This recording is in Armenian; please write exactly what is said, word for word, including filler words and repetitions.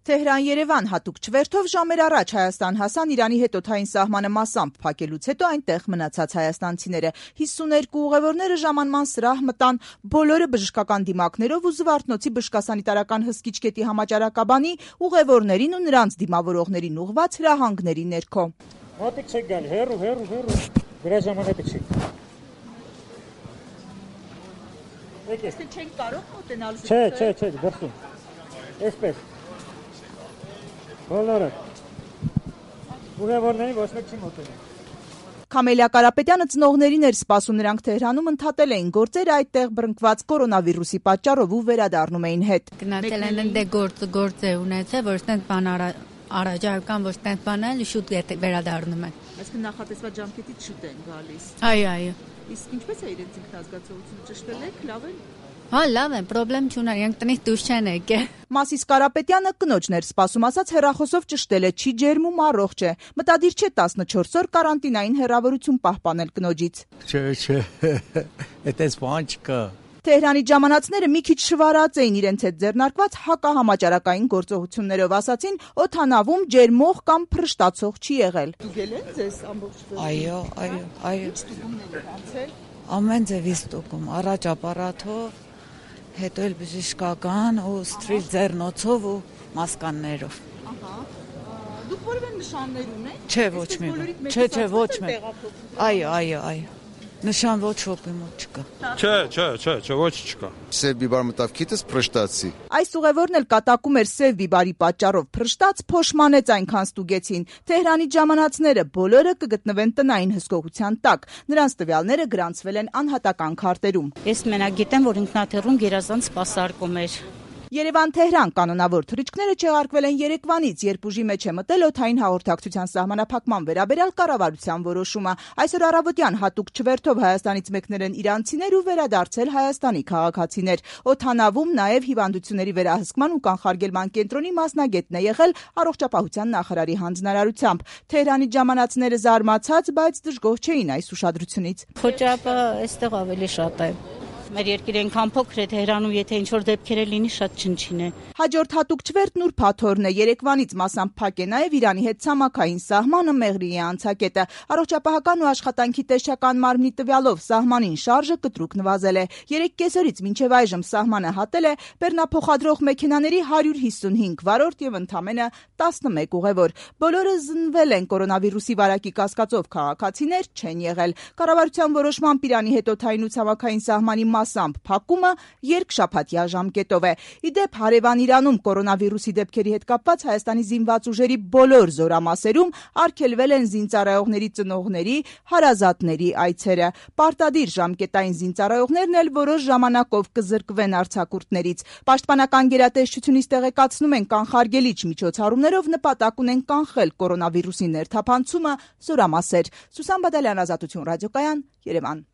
Թեհրան-Երևան հատուկ չվերթով ժամեր առաջ Հայաստան հասան Իրանի հետ օդային սահմանը մասամբ փակելուց հետո այնտեղ մնացած հայաստանցիները։ հիսուներկու ուղևորները ժամանման սրահ մտան, բոլորը բժշկական դիմակներով ու Զվարթնոցի բժշկասանիտարական հսկիչ կետի համաճարակաբանի ուղևորներին ու նրանց դիմավորողներին ուղղված հրահանգների ներքո։ Մոտիկ չեք գալ, հեռու, հեռու, հեռու, դրա ժամանակը չի։ Իսկ չենք կարող մոտենալ։ Չէ, չէ, չէ, դրսում։ Այսպես։ Բոլորը։ Ուղևորներին ոչ մեկ չի մոտենում։ Քամելիա Կարապետյանը ծնողներին էր սպասում, նրանք Թեհրանում ընդհատել էին գործերը այդտեղ բռնկված կորոնավիրուսի պատճառով ու վերադառնում էին հետ։ Գնացել են ընդ գործ գործ է ունեցել, որ ստենց բան առաջարկան, որ ստենց բանել շուտ վերադառնում են։ Այսինքն նախատեսված ժամկետից շուտ են գալիս։ Այո, այո։ Իսկ ինչպես է իրենց ինքնազգացողությունը, ճշտել եք, լավ են։ Հա, լավ են, պրոբլեմ չունեն, իրենք տնից դուրս չեն եկել։ Մասիս Կարապետյանը կնոջն էր սպասում, ասաց հեռախոսով ճշտել է, չի ջերմում, առողջ է։ Մտադիր չէ տասնչորս օր կարանտինային հեռավորություն պահպանել կնոջից։ Չէ, չէ, այդպես բան չկա։ Թեհրանից ժամանածները մի քիչ շվարած էին իրենց հետ ձեռնարկված հակահամաճարակային գործողություններով, ասացին օդանավում ջերմող կամ փռշտացող չի եղել։ Ստուգել են ձեզ ամբողջ վերջը։ Այո, այո, այո։ Ինչ ստուգումներ եք անցել։ Ամեն ձևի ստուգում, առաջ ապարատով, հետո էլ բժշկական ու սթրիլ ձեռնոցով ու մասկաններով։ Ահա։ Դուք որևէ նշաններ ունեք։ Չէ, ոչ մի բան։ Չէ, չէ, ոչ մի։ Այո, այո, այո։ Նշան ոչ ոպի մոտ չկա։ Չէ, չէ, չէ, չէ, ոչ չկա։ Սև բիբար մտավ քիթս փռշտացի։ Այս ուղևորն էլ կատակում էր սև բիբարի պատճառով փռշտաց, փոշմանեց այնքան ստուգեցին։ Թեհրանից ժամանածները բոլորը կգտնվեն տնային հսկողության տակ։ Նրանց տվյալները գրանցվել են անհատական քարտերում։ Ես մենակ գիտեմ, որ ինքնաթիռում գերազանց սպասարկում էր։ Երևան-Թեհրան կանոնավոր թռիչքները չեղարկվել են երեկվանից, երբ ուժի մեջ է մտել օդային հաղորդակցության սահմանափակման վերաբերյալ կառավարության որոշումը։ Այսօր առավոտյան հատուկ չվերթով Հայաստանից մեկնել են իրանցիներ ու վերադարձել Հայաստանի քաղաքացիներ։ Օդանավում նաև հիվանդությունների վերահսկման ու կանխարգելման կենտրոնի մասնագետն է եղել առողջապահության նախարարի հանձնարարությամբ։ Թեհրանից ժամանածները զարմացած, բայց դժգոհ չէին այս ուշադրությունից։ Խոճապը այստեղ ավելի շատ է։ Մեր երկիրը այնքան փոքր է, Թեհրանում եթե ինչ-որ դեպքեր լինի, շատ չնչին է։ Հաջորդ հատուկ չվերթ Նուր Փաթորն է։ Երեկվանից մասամբ փակ է նաև Իրանի հետ ցամաքային սահմանը Մեղրիի անցակետը։ Առողջապահական ու աշխատանքի տեսչական մարմնի տվյալով սահմանին շարժը կտրուկ նվազել է։ Երեք կեսօրից մինչև այժմ սահմանը հատել է բեռնափոխադրող մեքենաների հարյուր հիսունհինգ վարորդ եւ ընդամենը տասնմեկ ուղևոր։ Բոլորը զննել են կորոնավիրուսի վարակի կասկածով, քաղաքացիներ չեն եղել։ Կառավարության որոշմամբ Իրանի հետ օդային ու ցամաքային սահմանի մասամբ փակումը երկշաբաթյա ժամկետով է։ Իդեպ հարևան Իրանում կորոնավիրուսի դեպքերի հետ կապված Հայաստանի զինված ուժերի բոլոր զորամասերում արգելվել են զինծառայողների ծնողների, հարազատների այցերը։ Պարտադիր ժամկետային զինծառայողներն էլ որոշ ժամանակով կզրկվեն արձակուրդներից։ Պաշտպանական գերատեսչությունից տեղեկացնում են կանխարգելիչ միջոցառումներով նպատակ ունեն կանխել կորոնավիրուսի ներթափանցումը զորամասեր։ Սուսան Բադալյան, Ազատություն ռադիոկայան, Երևան։